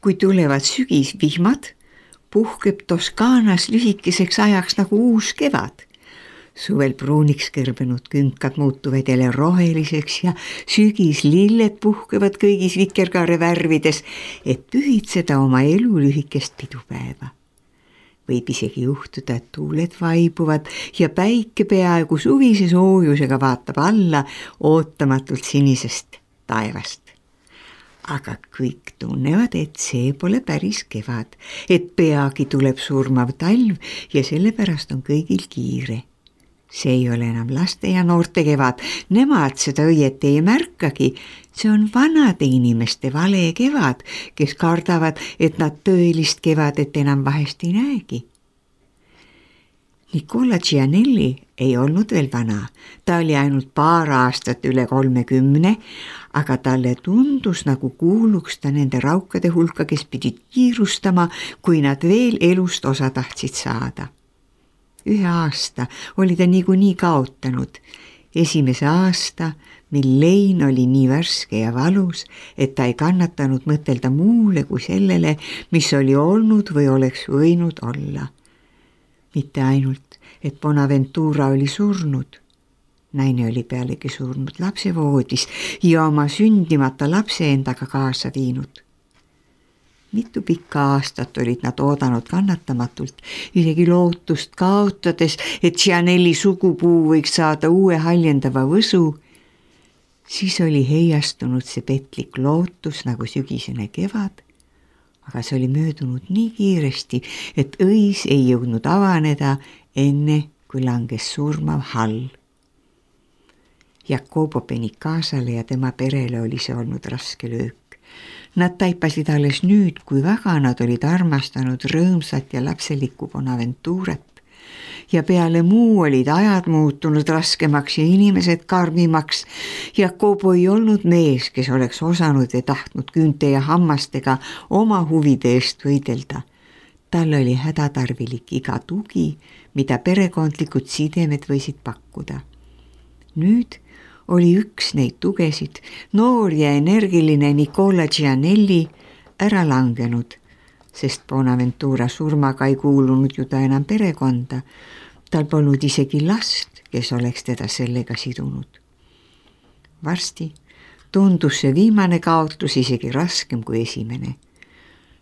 Kui tulevad sügisvihmad, puhkeb Toskaanas lühikeseks ajaks nagu uus kevad. Suvel pruuniks kõrbenud künkad muutuvad jälle roheliseks ja sügislilled puhkevad kõigis vikerkaare värvides, et pühitseda oma elu lühikest pidupäeva. Võib isegi juhtuda, et tuuled vaibuvad ja päike peaaegu suvise soojusega vaatab alla ootamatult sinisest taevast. Aga kõik tunnevad, et see pole päris kevad, et peagi tuleb surmav talv ja sellepärast on kõigil kiire. See ei ole enam laste ja noorte kevad, nemad seda õieti ei märkagi, see on vanade inimeste vale kevad, kes kardavad, et nad tõelist kevadet enam vahest ei näegi. Nicola Gianelli ei olnud veel vana, ta oli ainult paar aastat üle 30, aga talle tundus nagu kuuluks ta nende raukade hulka, kes pidid kiirustama, kui nad veel elust osa tahtsid saada. 1 aasta oli ta niikuinii kaotanud. Esimese aasta, mil lein oli nii värske ja valus, et ta ei kannatanud mõtelda muule kui sellele, mis oli olnud või oleks võinud olla. Mitte ainult, et Bonaventura oli surnud. Naine oli pealegi surnud lapsevoodis ja oma sündimata lapse endaga kaasa viinud. Mitu pikka aastat olid nad oodanud kannatamatult, isegi lootust kaotades, et Gianelli sugupuu võiks saada uue haljendava võsu. Siis oli heiastunud see petlik lootus nagu sügisene kevad, aga see oli möödunud nii kiiresti, et õis ei jõudnud avaneda enne, kui langes surmav hall. Jacopo Benincasale ja tema perele oli see olnud raske löök. Nad taipasid alles nüüd, kui väga nad olid armastanud rõõmsat ja lapselikku Bonaventurat. Ja peale muu olid ajad muutunud raskemaks ja inimesed karmimaks. Jacopo ei olnud mees, kes oleks osanud ja tahtnud küünte ja hammastega oma huvide eest võidelda. Tal oli hädatarvilik iga tugi, mida perekondlikud sidemed võisid pakkuda. Nüüd oli üks neid tugesid, noor ja energiline Nicola Gianelli, ära langenud, sest Bonaventura surmaga ei kuulunud ju ta enam perekonda. Tal polnud isegi last, kes oleks teda sellega sidunud. Varsti tundus see viimane kaotus isegi raskem kui esimene.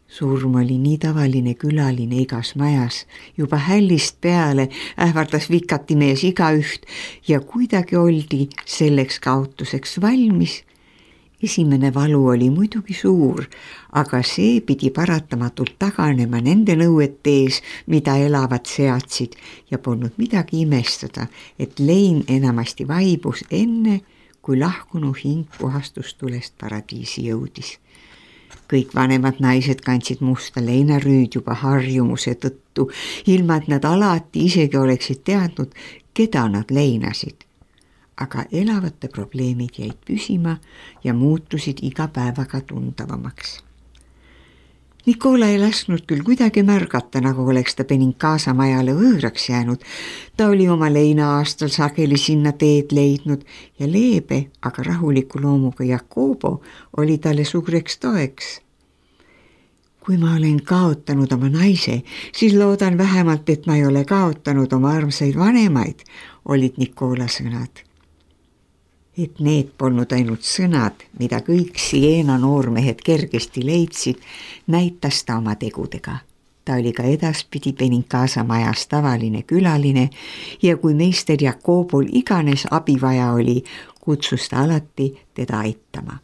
Surm oli nii tavaline külaline igas majas, juba hällist peale ähvardas vikati mees igaüht ja kuidagi oldi selleks kaotuseks valmis. Esimene valu oli muidugi suur, aga see pidi paratamatult taganema nende nõuete ees, mida elavad seadsid ja polnud midagi imestada, et lein enamasti vaibus enne, kui lahkunu hing puhastustulest paradiisi jõudis. Kõik vanemad naised kandsid musta leinarüüd juba harjumuse tõttu, ilma et nad alati isegi oleksid teadnud, keda nad leinasid. Aga elavate probleemid jäid püsima ja muutusid iga päevaga tundavamaks. Nicola ei lasknud küll kuidagi märgata, nagu oleks ta Benincasa majale võõraks jäänud. Ta oli oma leina aastal sageli sinna teed leidnud ja leebe, aga rahuliku loomuga Jacopo oli talle suureks toeks. Kui ma olen kaotanud oma naise, siis loodan vähemalt, et ma ei ole kaotanud oma armsaid vanemaid, olid Nicola sõnad. Et need polnud ainult sõnad, mida kõik Siena noormehed kergesti leidsid, näitas ta oma tegudega. Ta oli ka edaspidi Benincasa majas tavaline külaline ja kui meister Jacobol iganes abivaja oli, kutsus ta alati teda aitama.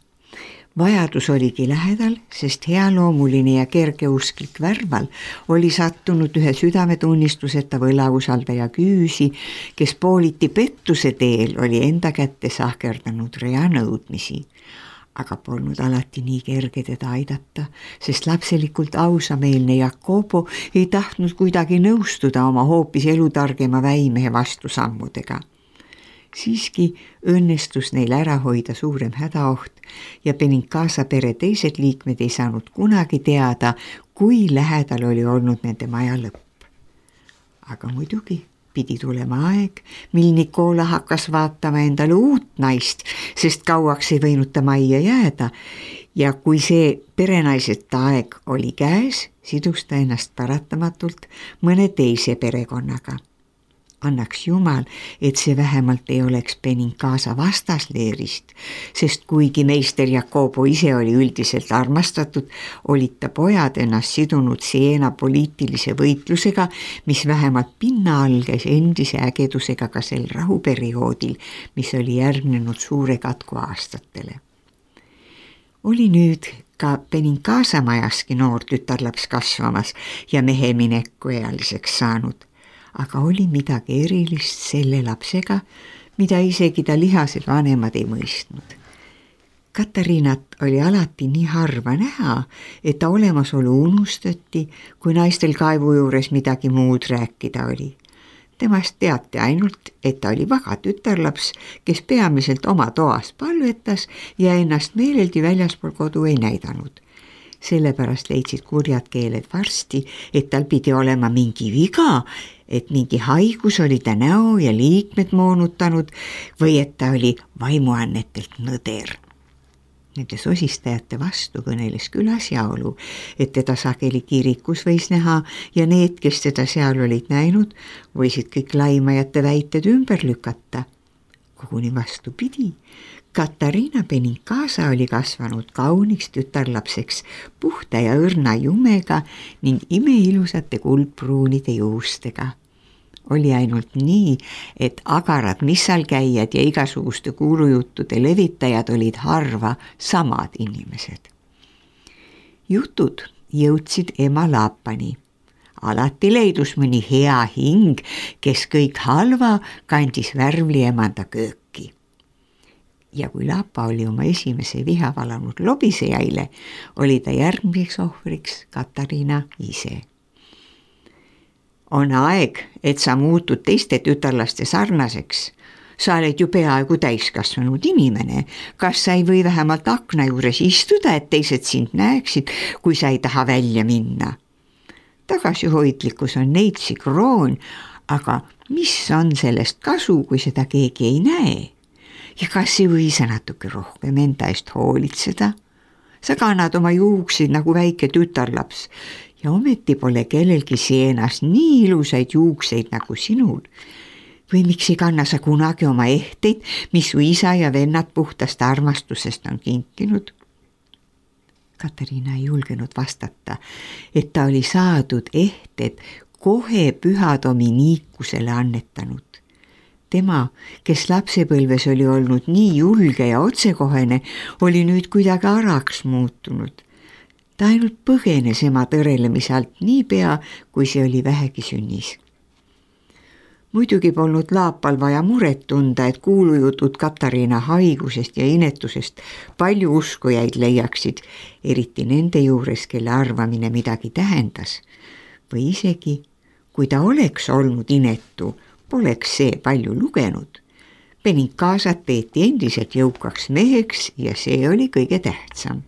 Vajadus oligi lähedal, sest healoomuline ja kergeusklik Värval oli sattunud ühe südametunnistuseta võlausaldaja küüsi, kes pooliti pettuse teel oli enda kätte sahkerdanud rea nõudmisi. Aga polnud alati nii kerge teda aidata, sest lapselikult ausameelne Jacopo ei tahtnud kuidagi nõustuda oma hoopis elutargema väimehe vastusammudega. Siiski õnnestus neil ära hoida suurem hädaoht ja Benincasa pere teised liikmed ei saanud kunagi teada, kui lähedal oli olnud nende maja lõpp. Aga muidugi pidi tulema aeg, mil Nicola hakkas vaatama endale uut naist, sest kauaks ei võinud ta majja jääda ja kui see perenaisete aeg oli käes, sidus ta ennast paratamatult mõne teise perekonnaga. Annaks Jumal, et see vähemalt ei oleks Benincasa vastasleerist, sest kuigi meister Jacobo ise oli üldiselt armastatud, olid ta pojad ennast sidunud Siena poliitilise võitlusega, mis vähemalt pinna all käis endise ägedusega ka sel rahuperioodil, mis oli järgnenud suure katku aastatele. Oli nüüd ka Benincasa majaski noor tütarlaps kasvamas ja mehe minekuealiseks saanud. Aga oli midagi erilist selle lapsega, mida isegi ta lihased vanemad ei mõistnud. Katariinat oli alati nii harva näha, et ta olemasolu unustati, kui naistel kaevu juures midagi muud rääkida oli. Temast teati ainult, et ta oli vaga tütarlaps, kes peamiselt oma toas palvetas ja ennast meeleldi väljaspool kodu ei näidanud. Sellepärast leidsid kurjad keeled varsti, et tal pidi olema mingi viga, et mingi haigus oli ta näo ja liikmed moonutanud või et ta oli vaimuannetelt nõder. Nende sosistajate vastu kõneles küll asjaolu, et teda sageli kirikus võis näha ja need, kes teda seal olid näinud, võisid kõik laimajate väited ümber lükata. Koguni vastupidi. Katariina Benincasa oli kasvanud kauniks tütarlapseks puhta ja õrna jumega ning imeilusate kuldpruunide juustega. Oli ainult nii, et agarad missalkäijad ja igasuguste kuulujuttude levitajad olid harva samad inimesed. Jutud jõudsid ema Laapani. Alati leidus mõni hea hing, kes kõik halva kandis värvli emanda kööki. Ja kui Laapa oli oma esimese viha valanud lobisejaile, oli ta järgmiseks ohvriks Katariina ise. On aeg, et sa muutud teiste tütarlaste sarnaseks. Sa oled ju peaaegu täiskasvanud inimene. Kas sa ei või vähemalt akna juures istuda, et teised sind näeksid, kui sa ei taha välja minna? Tagasihoidlikkus on neitsi kroon, aga mis on sellest kasu, kui seda keegi ei näe? Ja kas ei või sa natuke rohkem enda eest hoolitseda? Sa kannad oma juukseid nagu väike tütarlaps ja ometi pole kellelgi Sienas nii ilusaid juukseid nagu sinul. Või miks ei kanna sa kunagi oma ehteid, mis su isa ja vennad puhtast armastusest on kinkinud? Katariina ei julgenud vastata, et ta oli saadud ehted kohe püha Dominikusele annetanud. Tema, kes lapsepõlves oli olnud nii julge ja otsekohene, oli nüüd kuidagi araks muutunud. Ta ainult põgenes ema tõrelemise alt niipea, kui see oli vähegi sünnis. Muidugi polnud Laapal vaja muret tunda, et kuulujutud Katariina haigusest ja inetusest palju uskujaid leiaksid, eriti nende juures, kelle arvamine midagi tähendas. Või isegi, kui ta oleks olnud inetu, poleks see palju lugenud. Benincasat peeti endiselt jõukaks meheks ja see oli kõige tähtsam.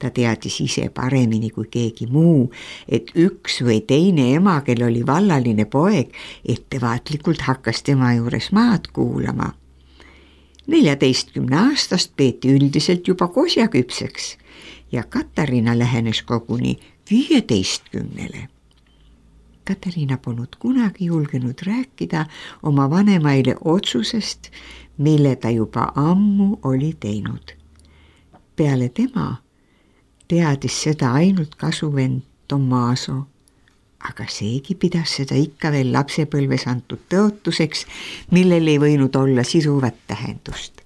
Ta teadis ise paremini kui keegi muu, et üks või teine ema, kel oli vallaline poeg, ettevaatlikult hakkas tema juures maad kuulama. 14-aastast peeti üldiselt juba kosjaküpseks ja Katariina lähenes koguni 15-le. Katariina polnud kunagi julgenud rääkida oma vanemaile otsusest, mille ta juba ammu oli teinud. Peale tema teadis seda ainult kasuvend Tommaso, aga seegi pidas seda ikka veel lapsepõlves antud tõotuseks, millel ei võinud olla siduvat tähendust.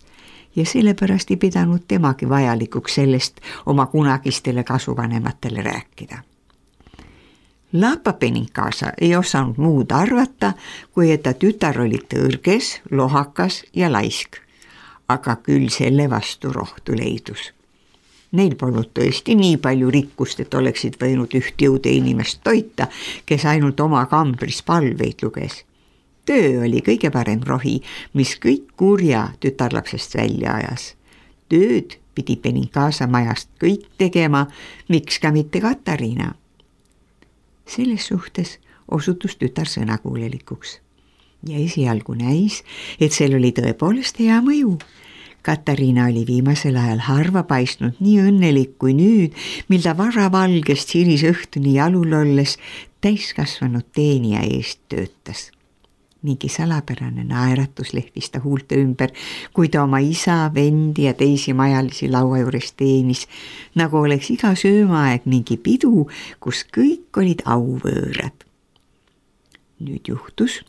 Ja sellepärast ei pidanud temagi vajalikuks sellest oma kunagistele kasuvanematele rääkida. Laapa Benincasa ei osanud muud arvata, kui et ta tütar oli tõrges, lohakas ja laisk, aga küll selle vastu rohtu leidus. Neil polnud tõesti nii palju rikkust, et oleksid võinud üht jõude inimest toita, kes ainult oma kambris palveid luges. Töö oli kõige parem rohi, mis kõik kurja tütarlapsest välja ajas. Tööd pidi Benincasa majast kõik tegema, miks ka mitte Katariina. Selles suhtes osutus tütar sõnakuulelikuks ja esialgu näis, et sel oli tõepoolest hea mõju. Katariina oli viimasel ajal harva paistnud nii õnnelik kui nüüd, mil ta varavalgest hilisõhtuni jalul olles täiskasvanud teenija eest töötas. Mingi salapärane naeratus lehvis ta huulte ümber, kui ta oma isa, vendi ja teisi majalisi laua juures teenis, nagu oleks iga söömaaeg mingi pidu, kus kõik olid auvõõrad. Nüüd juhtus,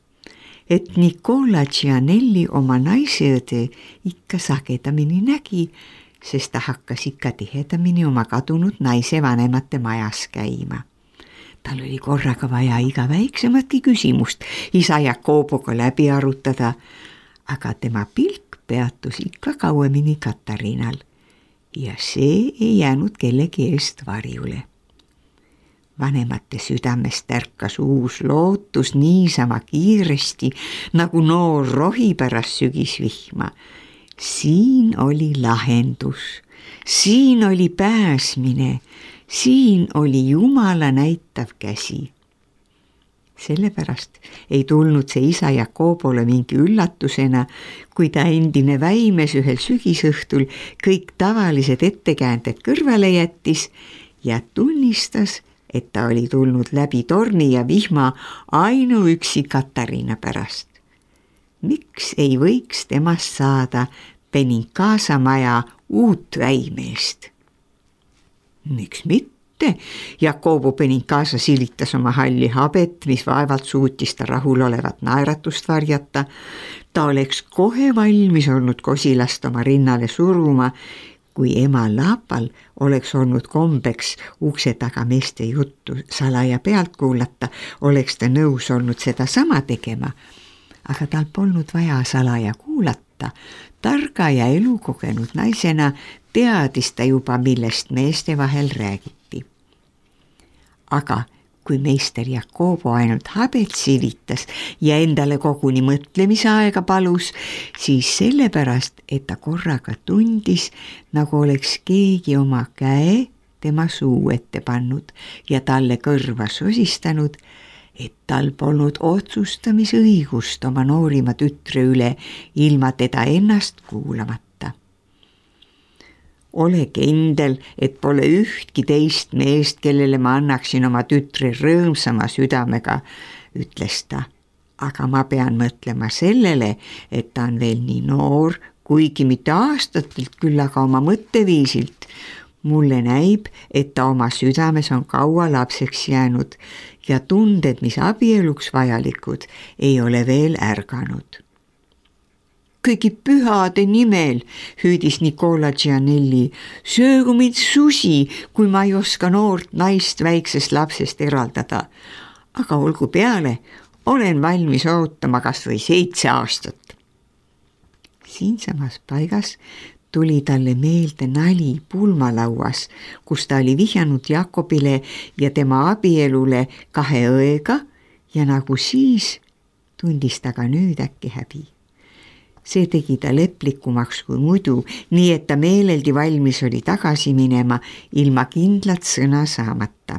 et Nicola Gianelli oma naiseõde ikka sagedamini nägi, sest ta hakkas ikka tihedamini oma kadunud naise vanemate majas käima. Tal oli korraga vaja iga väiksematki küsimust isa Jakoboga läbi arutada, aga tema pilk peatus ikka kauemini Katariinal ja see ei jäänud kellegi eest varjule. Vanemate südamest ärkas uus lootus niisama kiiresti, nagu noor rohi pärast sügisvihma. Siin oli lahendus, siin oli pääsmine, siin oli Jumala näitav käsi. Sellepärast ei tulnud see isa Jakobole mingi üllatusena, kui ta endine väimes ühel sügisõhtul kõik tavalised ettekäänded kõrvale jättis ja tunnistas, et ta oli tulnud läbi torni ja vihma ainuüksi Katariina pärast. Miks ei võiks temast saada Benincasa maja uut väimeest? Miks mitte? Jakobo Benincasa silitas oma halli habet, mis vaevalt suutis ta rahulolevat naeratust varjata. Ta oleks kohe valmis olnud kosilast oma rinnale suruma, kui ema Laapal oleks olnud kombeks ukse taga meeste juttu salaja pealt kuulata, oleks ta nõus olnud seda sama tegema. Aga tal polnud vaja salaja kuulata. Targa ja elukogenud naisena teadis ta juba, millest meeste vahel räägiti. Aga kui meister Jakobo ainult habet silitas ja endale koguni mõtlemise aega palus, siis sellepärast, et ta korraga tundis, nagu oleks keegi oma käe tema suu ette pannud ja talle kõrva sosistanud, et tal polnud otsustamisõigust oma noorima tütre üle ilma teda ennast kuulamata. Ole kindel, et pole ühtki teist meest, kellele ma annaksin oma tütre rõõmsama südamega, ütles ta. Aga ma pean mõtlema sellele, et ta on veel nii noor, kuigi mitte aastatelt küll, aga oma mõtteviisilt. Mulle näib, et ta oma südames on kaua lapseks jäänud ja tunded, mis abieluks vajalikud, ei ole veel ärganud. Kõigi pühade nimel, hüüdis Nicola Gianelli, söögu mind susi, kui ma ei oska noort naist väiksest lapsest eraldada. Aga olgu peale, olen valmis ootama kas või 7 aastat. Siinsamas paigas tuli talle meelde nali pulmalauas, kus ta oli vihjanud Jakobile ja tema abielule 2 õega ja nagu siis tundis ta ka nüüd äkki häbi. See tegi ta leplikumaks kui muidu, nii et ta meeleldi valmis oli tagasi minema ilma kindlat sõna saamata.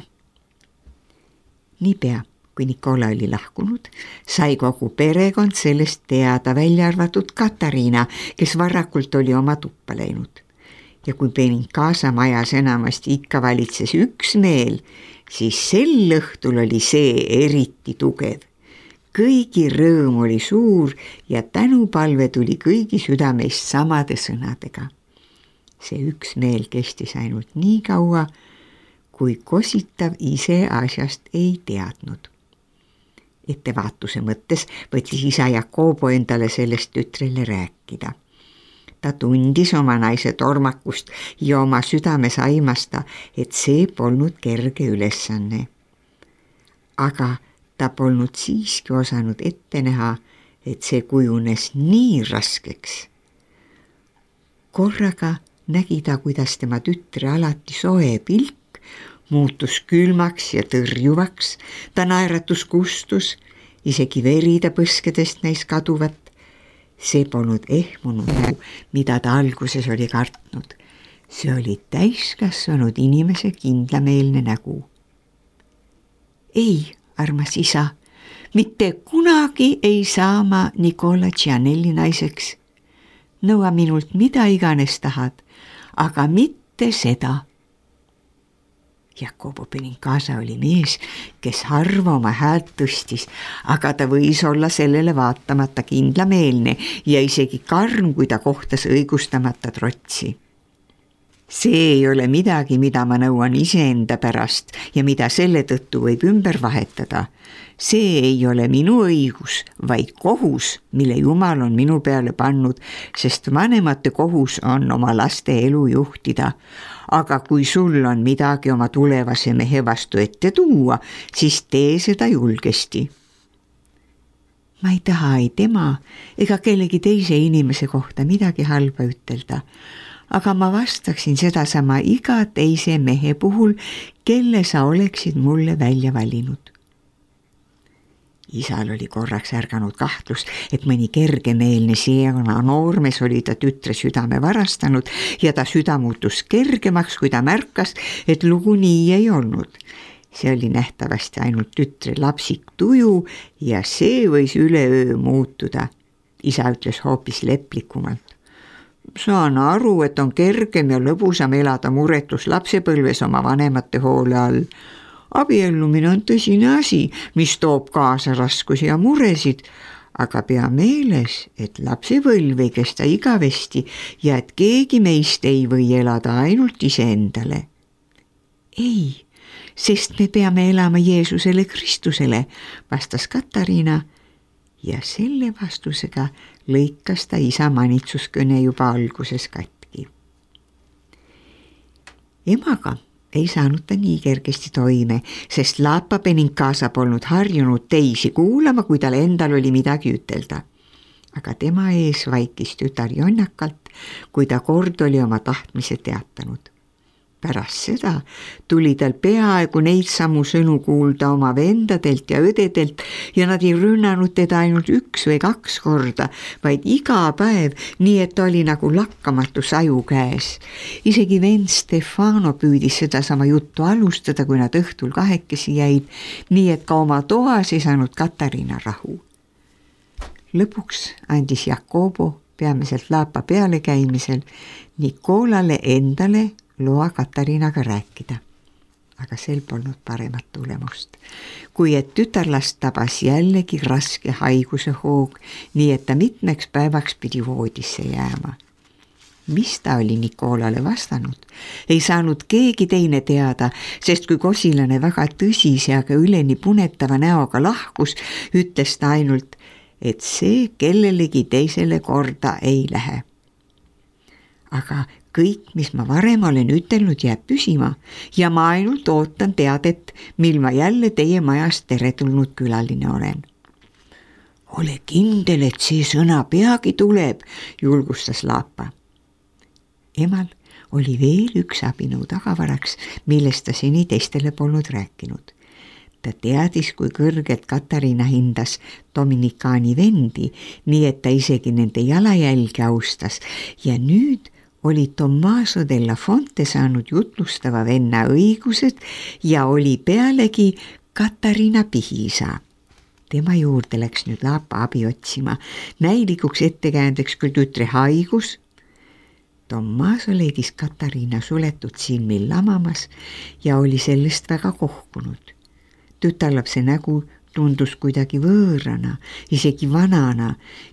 Niipea, kui Nicola oli lahkunud, sai kogu perekond sellest teada, välja arvatud Katariina, kes varakult oli oma tuppa läinud. Ja kui Benincasa majas enamasti ikka valitses üksmeel, siis sel õhtul oli see eriti tugev. Kõigi rõõm oli suur ja tänupalve tuli kõigi südameist samade sõnadega. See üksmeel kestis ainult nii kaua, kui kositav ise asjast ei teadnud. Ettevaatuse mõttes võttis isa Jakobo endale sellest tütrele rääkida. Ta tundis oma naise tormakust ja oma südames aimasta, et see polnud kerge ülesanne. Aga ta polnud siiski osanud ette näha, et see kujunes nii raskeks. Korraga nägi ta, kuidas tema tütre alati soe pilk muutus külmaks ja tõrjuvaks, ta naeratus kustus, isegi veri ta põskedest näis kaduvat. See polnud ehmunud nägu, mida ta alguses oli kartnud. See oli täiskasvanud inimese kindlameelne nägu. Ei, armas isa, mitte kunagi ei saa ma Nicola Gianelli naiseks. nõua minult mida iganes tahad, aga mitte seda. Jakobo Benincasa oli mees, kes harva oma häält tõstis, aga ta võis olla sellele vaatamata kindlameelne ja isegi karm, kui ta kohtas õigustamata trotsi. See ei ole midagi, mida ma nõuan iseenda pärast ja mida selle tõttu võib ümber vahetada. See ei ole minu õigus, vaid kohus, mille Jumal on minu peale pannud, sest vanemate kohus on oma laste elu juhtida. Aga kui sul on midagi oma tulevase mehe vastu ette tuua, siis tee seda julgesti. Ma ei taha ei tema ega kellegi teise inimese kohta midagi halba ütelda, aga ma vastaksin sedasama iga teise mehe puhul, kelle sa oleksid mulle välja valinud. Isal oli korraks ärganud kahtlus, et mõni kergemeelne siena noormees oli ta tütre südame varastanud ja ta süda muutus kergemaks, kui ta märkas, et lugu nii ei olnud. See oli nähtavasti ainult tütre lapsik tuju ja see võis üleöö muutuda. Isa ütles hoopis leplikumalt. Saan aru, et on kergem ja lõbusam elada muretus lapsepõlves oma vanemate hoole all. Abiellumine on tõsine asi, mis toob kaasa raskusi ja muresid, aga pea meeles, et lapsepõlv ei kesta igavesti ja et keegi meist ei või elada ainult iseendale. Ei, sest me peame elama Jeesusele Kristusele, vastas Katariina ja selle vastusega lõikas ta isa manitsuskõne juba alguses katki. Emaga ei saanud ta nii kergesti toime, sest Laapa Benincasa polnud harjunud teisi kuulama, kui tal endal oli midagi ütelda. Aga tema ees vaikis tütar jonnakalt, kui ta kord oli oma tahtmise teatanud. Pärast seda tuli tal peaaegu neid samu sõnu kuulda oma vendadelt ja õdedelt ja nad ei rünnanud teda ainult 1 või 2 korda, vaid iga päev, nii et ta oli nagu lakkamatu saju käes. Isegi vend Stefano püüdis sedasama juttu alustada, kui nad õhtul kahekesi jäid, nii et ka oma toas ei saanud Katariina rahu. Lõpuks andis Jakobo peamiselt Laapa peale käimisel Nikolale endale loa Katariinaga rääkida, aga sel polnud paremat tulemust, kui et tütarlast tabas jällegi raske haiguse hoog, nii et ta mitmeks päevaks pidi voodisse jääma. Mis ta oli Nikolale vastanud, ei saanud keegi teine teada, sest kui kosilane väga tõsise, aga üleni punetava näoga lahkus, ütles ta ainult, et see kellelegi teisele korda ei lähe. Aga kõik, mis ma varem olen ütelnud, jääb püsima ja ma ainult ootan teadet, mil ma jälle teie majast teretulnud külaline olen. Ole kindel, et see sõna peagi tuleb, julgustas Laapa. Emal oli veel üks abinõu tagavaraks, millest ta seni teistele polnud rääkinud. Ta teadis, kui kõrgelt Katariina hindas Dominikaani vendi, nii et ta isegi nende jalajälge austas ja nüüd oli Tommaso della Fonte saanud jutlustava venna õigused ja oli pealegi Katariina pihiisa. Tema juurde läks nüüd Laapa abi otsima, näilikuks ettekäändeks küll tütre haigus. Tommaso leidis Katariina suletud silmil lamamas ja oli sellest väga kohkunud. Tütarlapse nägu tundus kuidagi võõrana, isegi vanana.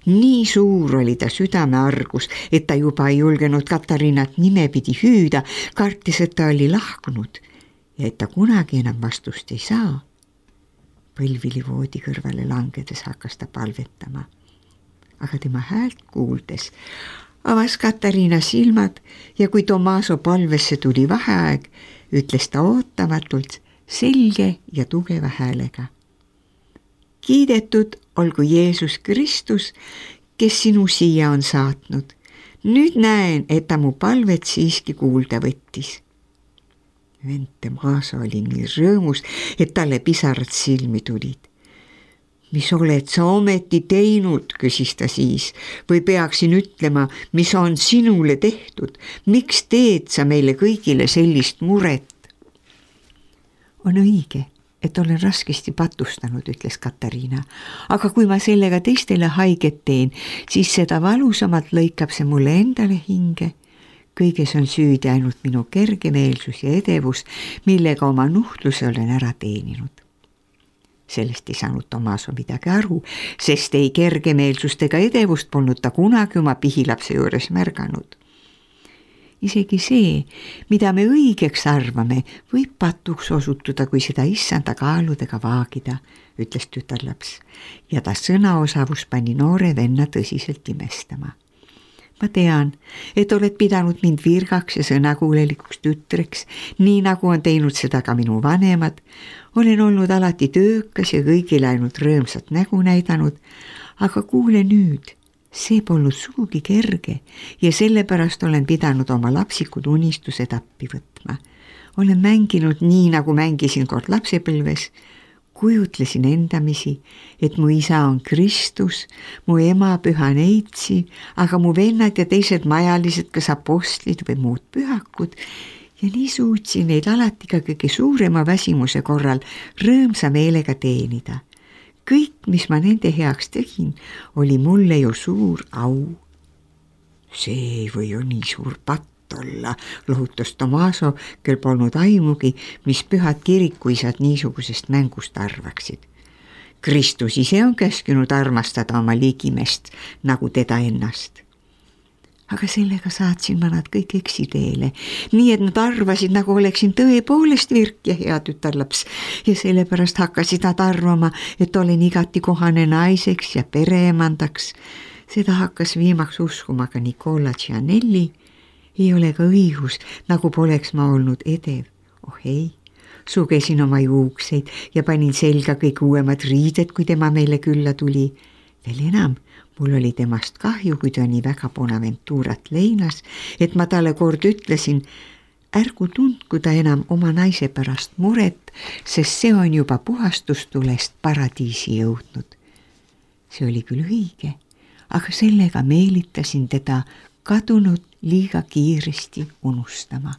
Nii suur oli ta südameargus, et ta juba ei julgenud Katariinat nimepidi hüüda, kartis, et ta oli lahkunud ja et ta kunagi enam vastust ei saa. Põlvili voodi kõrvale langedes hakkas ta palvetama. Aga tema häält kuuldes avas Katariina silmad ja kui Tommaso palvesse tuli vaheaeg, ütles ta ootamatult selge ja tugeva häälega. Kiidetud olgu Jeesus Kristus, kes sinu siia on saatnud. Nüüd näen, et ta mu palvet siiski kuulda võttis. Vend Tommaso oli nii rõõmus, et talle pisarad silmi tulid. Mis oled sa ometi teinud, küsis ta siis, või peaksin ütlema, mis on sinule tehtud? Miks teed sa meile kõigile sellist muret? On õige, et olen raskesti patustanud, ütles Katariina. Aga kui ma sellega teistele haiget teen, siis seda valusamalt lõikab see mulle endale hinge. Kõiges on süüdi ainult minu kergemeelsus ja edevus, millega oma nuhtluse olen ära teeninud. Sellest ei saanud Tomaso midagi aru, sest ei kergemeelsust ega edevust polnud ta kunagi oma pihilapse juures märganud. Isegi see, mida me õigeks arvame, võib patuks osutuda, kui seda issanda kaaludega vaagida, ütles tütarlaps, ja ta sõnaosavus pani noore venna tõsiselt imestama. Ma tean, et oled pidanud mind virgaks ja sõnakuulelikuks tütreks, nii nagu on teinud seda ka minu vanemad. Olen olnud alati töökas ja kõigile ainult rõõmsat nägu näidanud, aga kuule nüüd, see polnud sugugi kerge ja sellepärast olen pidanud oma lapsikud unistused appi võtma. Olen mänginud nii, nagu mängisin kord lapsepõlves. Kujutlesin endamisi, et mu isa on Kristus, mu ema püha neitsi, aga mu vennad ja teised majalised, kas apostlid või muud pühakud, ja nii suutsin neid alati ka kõige suurema väsimuse korral rõõmsa meelega teenida. Kõik, mis ma nende heaks tegin, oli mulle ju suur au. See ei või ju nii suur patt olla, lohutas Tomaso, kel polnud aimugi, mis pühad kirikuisad niisugusest mängust arvaksid. Kristus ise on käskinud armastada oma ligimest nagu teda ennast. Aga sellega saatsin ma nad kõik eksiteele, nii et nad arvasid, nagu oleksin tõepoolest virk ja hea tütarlaps ja sellepärast hakkasid nad arvama, et olen igati kohane naiseks ja pereemandaks. Seda hakkas viimaks uskuma ka Nicola Gianelli. Ei ole ka õigus, nagu poleks ma olnud edev. Oh ei, sugesin oma juukseid ja panin selga kõik uuemad riided, kui tema meile külla tuli. Veel enam, mul oli temast kahju, kui ta nii väga Bonaventurat leinas, et ma talle kord ütlesin, ärgu tundku ta enam oma naise pärast muret, sest see on juba puhastustulest paradiisi jõudnud. See oli küll õige, aga sellega meelitasin teda kadunud liiga kiiresti unustama.